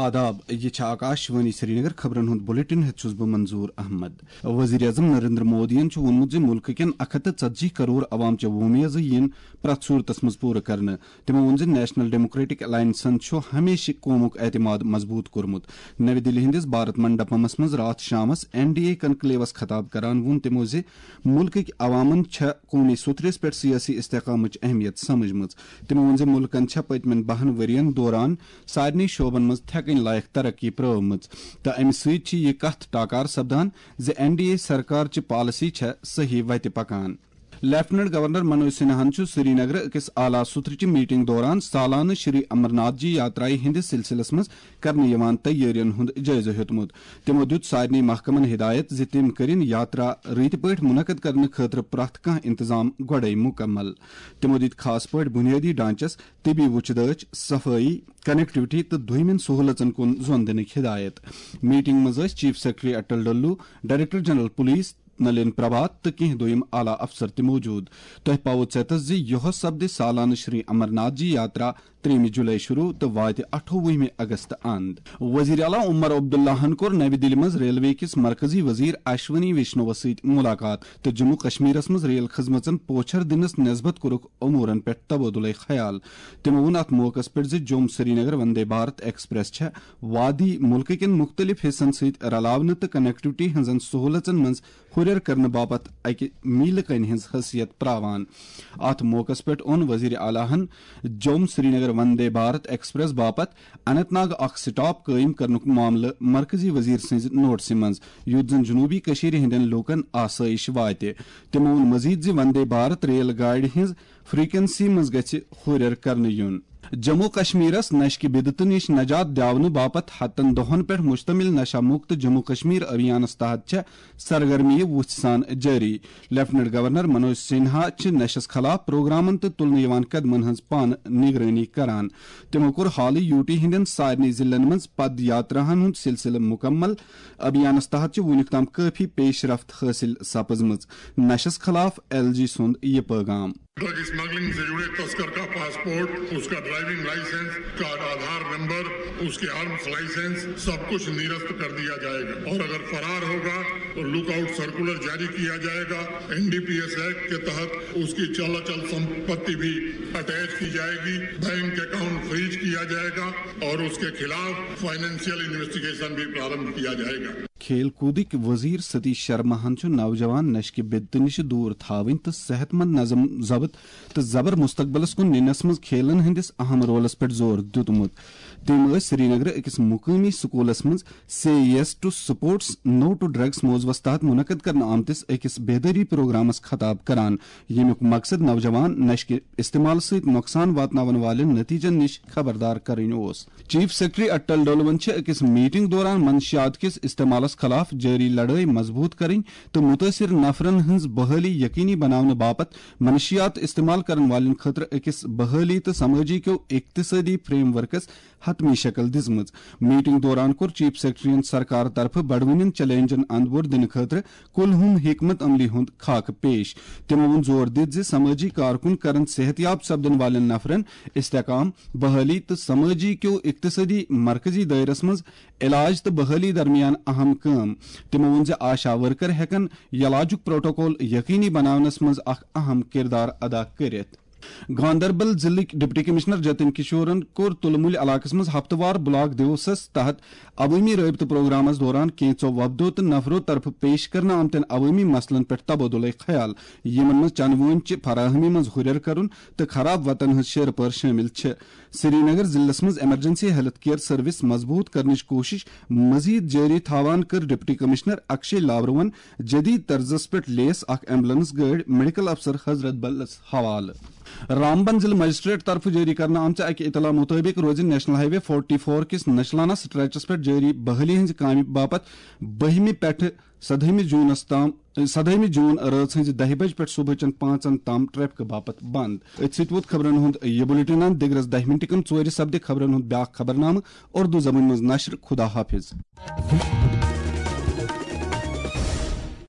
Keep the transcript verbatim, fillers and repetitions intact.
آداب، یہِ چھِ آکاش وانی سرینگر۔ خبرن ہُنٛد بُلٹن ہٮ۪تھ چھُس بہٕ منظور احمد۔ وزیر اعظم نریندر مودیَن چھُ ووٚنمُت زِ مُلکہٕ کٮ۪ن اَکھ ہَتھ تہٕ ژتجی کرور عوام چہِ وۄمید زِ یِن پرٛٮ۪تھ صوٗرتس منٛز پوٗرٕ کرنہٕ۔ تِمو ووٚن زِ نیشنل ڈیموکریٹک الائنسن چھُ ہمیشہِ قومُک اعتماد مضبوٗط کوٚرمُت۔ نَوِ دِلہِ ہٕنٛدِس بھارت منڈپمس منٛز راتھ شامس این ڈی اے کنکلیوس خطاب کران ووٚن تِمو زِ مُلکٕکۍ عوامن چھےٚ قومی سوٚتھرِس پٮ۪ٹھ سیٲسی استحکامٕچ اہمیت سمجھمٕژ۔ تِمو ووٚن زِ مُلکن چھےٚ پٔتمٮ۪ن بَہَن ؤرین دوران سارنٕے شعبن منٛز تھٮ۪کٕنۍ لایق ترقی پرٲومٕژ تہٕ امہِ سۭتۍ چھِ یہِ کتھ ٹاکار سپدان زِ این ڈی اے سرکار چہِ پالیسی چھےٚ صحیح وتہِ پکان۔ لیفٹیننٹ گورنر منوج سنہاہن چھُ سرینگر أکِس اعلیٰ سطحٕچہِ میٹنگ دوران سالانہٕ شری امرناتھ جی یاترایہِ ہٕنٛدِس سلسلس منٛز کرنہٕ یِوان تیٲرین ہُنٛد جٲیزٕ ہیوٚتمُت۔ تِمو دیُت سارنٕے محکمن ہدایت زِ تِم کٔرِن یاترا رٕتۍ پٲٹھۍ منعقد کرنہٕ خٲطرٕ پرٛٮ۪تھ کانٛہہ انتظام گۄڈَے مُکمل۔ تِمو دِتۍ خاص پٲٹھۍ بُنیٲدی ڈھانچس، طبی وُچھ دٲچھ، صفٲیی، کنیکٹیوٹی تہٕ دوٚیمٮ۪ن سہوٗلژن کُن زۄن دِنٕکۍ ہدایت۔ میٹنگ منٛز ٲسۍ chief secretary Atal Dulloo, director general police Nalin Prabhat تہٕ کینٛہہ دوٚیِم اعلیٰ افسر تہِ موجود۔ تۄہہِ پاوو ژیتس زِ یۄہس سپدِ سالانہٕ شری امرناتھ جی یاترا ترٛیٚیِمہِ جولائی شروع تہٕ واتہِ اَٹھووُہمہِ اگست اند۔ وزیر اعلیٰ عمر عبداللہن کوٚر نَوِ دِلہِ منٛز ریلوے کِس مرکزی وزیر اشونی ویشنوَس سۭتۍ مُلاقات تہٕ جموں کشمیرس منٛز ریل خدمژن پوچھر دِنس نسبت کوٚرُکھ امورن پٮ۪ٹھ تبادلہ خیال۔ تِمو ووٚن اتھ موقعس پٮ۪ٹھ زِ جوم سرینگر وندے بھارت ایکسپریس چھےٚ وادی مُلکہٕ کٮ۪ن مُختٔلِف حصن سۭتۍ رلاونہٕ تہٕ کنیکٹیوٹی ہٕنٛزن سہوٗلژن منٛز ہُرٮ۪ر کرنہٕ باپتھ اکہِ میٖلہٕ کنہِ ہٕنٛز حیثیت پراوان۔ اتھ موقعس پٮ۪ٹھ اوٚن وزیر اعلیٰ ہن جوم سرینگر وندے بھارت ایکسپریس باپتھ اننت ناگ اکھ سٹاپ قٲیِم کرنُک معاملہٕ مرکزی وزیر سٕنٛزِ نوٹسہِ منٛز، یُتھ زن جنوبی کٔشیٖرِ ہٕنٛدٮ۪ن لوٗکن آسٲیِش واتہِ۔ تِمو ووٚن مزید زِ وندے بھارت ریل گاڑِ ہٕنٛز فریکوئنسی منٛز گژھِ ہُرٮ۪ر کرنہٕ یُن۔ جموں کشمیرس نشہِ کہِ بدعتہٕ نِش نجات دِیاونہٕ باپتھ ہتن دۄہن پٮ۪ٹھ مشتمل نشہ مکت جموں کشمیر ابھیانس تحت چھےٚ سرگرمی وُژھِ سان جٲری۔ لیفٹیننٹ گورنر منوج سنہا چھِ نشس خلاف پروگرامن تہٕ تُلنہٕ یِوان قدمن ہٕنٛز پانہٕ نگرٲنی کران۔ تِمو کوٚر حالٕے یوٗ ٹی ہٕنٛدٮ۪ن سارنٕے ضلعن منٛز پد یاتراہن ہُنٛد سلسلہٕ مُکمل۔ ابھیانس تحت چھِ وُنیُک تام کٲفی پیش رفت حٲصِل سپٕزمٕژ۔ نشس خلاف ایل جی سُنٛد یہِ پٲغام۔ ڈرگ اسمگلنگ سے جڑے تسکر کا پاسپورٹ، اس کا ڈرائیونگ لائسنس، اس کا آدھار نمبر، اس کے آرمز لائسنس، سب کچھ نرست کر دیا جائے گا اور اگر فرار ہوگا تو لک آؤٹ سرکولر جاری کیا جائے گا۔ N D P S act کے تحت اس کی چل اچل سمپتی بھی اٹیچ کی جائے گی، بینک اکاؤنٹ فریز کیا جائے گا اور اس کے خلاف فائنینشیل انویسٹیگیشن بھی پرارمبھ کیا جائے گا۔ کھیل کودٕکۍ وزیر ستیش شرماہن چھُ نوجوان نشہٕ کہِ بدعتہٕ نِش دوٗر تھاوٕنۍ تہٕ صحت مند نظم ضبط تہٕ زبر مستقبلس کُن نِنس منٛز کھیلن ہٕنٛدِس اہم رولس پٮ۪ٹھ زور دیُتمُت۔ تٔمۍ ٲسۍ سرینگرٕ أکِس مقٲمی سکوٗلس منٛز say yes to sports no to drugs موضوعس تحت منعقد کرنہٕ آمتِس أکِس بیدٲری پروگرامس خطاب کران، ییٚمیُک مقصد نوجوان نشہٕ کہِ استعمال سۭتۍ نۄقصان واتناون والٮ۪ن نتیجن نِش خبردار کرٕنۍ اوس۔ چیف سیکرٹری اٹل ڈولون چھِ أکِس میٹنگ دوران منشیات کِس استعمالس خلاف جٲری لڑٲے مضبوٗط کرٕنۍ تہٕ مُتٲثِر نفرن ہٕنٛز بحٲلی یقینی بناونہٕ باپتھ منشیات استعمال کرن والٮ۪ن خٲطرٕ أکِس بحٲلی تہٕ سمٲجی کیو اقتصٲدی فریم ورکس حتمی شکل دِژمٕژ۔ میٹنگ دوران کوٚر چیف سیکرٹریَن سرکار طرفہٕ بڑوٕنٮ۪ن چیلنجن اندپور دِنہٕ خٲطرٕ کُلہُم حکمت عملی ہُنٛد خاکہٕ پیش۔ تِمو ووٚن زور دِتھ زِ سمٲجی کارکُن کرن صحت یاب سپدن والٮ۪ن نفرن استحکام، بحٲلی تہٕ سمٲجی کیو اقتصٲدی مرکزی دٲیرس منٛز علاج تہٕ بحٲلی درمیان اہم کٲم۔ تِمو ووٚن زِ آشا ورکر ہٮ۪کن یلاجُک پروٹوکول یقینی بناونس منٛز اکھ اہم کردار ادا کٔرِتھ۔ گاندربل ضلعٕکۍ ڈپٹی کمشنر جتن کشورن کوٚر تُلمُلۍ علاقس منٛز ہفتہٕ وار بلاک دیوسس تحت عوٲمی رٲبطہٕ پروگرامس دوران کینژو وفدو تہٕ نفرو طرفہٕ پیش کرنہٕ آمتٮ۪ن عوٲمی مسلن پٮ۪ٹھ تبادلہ خیال، یِمن منٛز چنہٕ وٲنۍ چہِ فراہمی منٛز ہُرٮ۪ر کرُن تہٕ خراب وتن ہٕنٛز شیرٕ پٲر شٲمِل چھِ۔ سرینگر ضلعس منٛز ایمرجنسی ہیلتھ کیئر سروس مضبوٗط کرنٕچ کوٗشش مزید جٲری تھاوان کٔر ڈپٹی کمشنر اکشے لاورون جدید طرزس پٮ۪ٹھ لیس اکھ ایمبولینس گٲڑۍ میڈیکل افسر حضرت بلس حوالہٕ۔ رامبن ضلع مجسٹریٹ طرفہٕ جٲری کرنہٕ آمژِ اکہِ اطلاع مُطٲبِق روزِ نیشنل ہائی وے فورٹی فور کِس نشلانہ سٹریچس پٮ۪ٹھ جٲری بحالی ہٕنٛزِ کامہِ باپتھ بٔہمہِ پٮ۪ٹھٕ سدہٲیمہِ جوٗنس تام، سدہٲیمہِ جوٗن رٲژ ہٕنٛزِ دَہہِ بجہِ پٮ۪ٹھ صبحٕچن پانٛژن تام ٹریفکہٕ باپتھ بند۔ أتھۍ سۭتۍ ووت خبرن ہُنٛد یہِ بُلٹن اند۔ دِگرس دَہہِ مِنٹہِ کم ژورِ سپدِ خبرن ہُنٛد بیاکھ خبرنامہٕ اردو زبٲنۍ منٛز نشر۔ خدا حافظ۔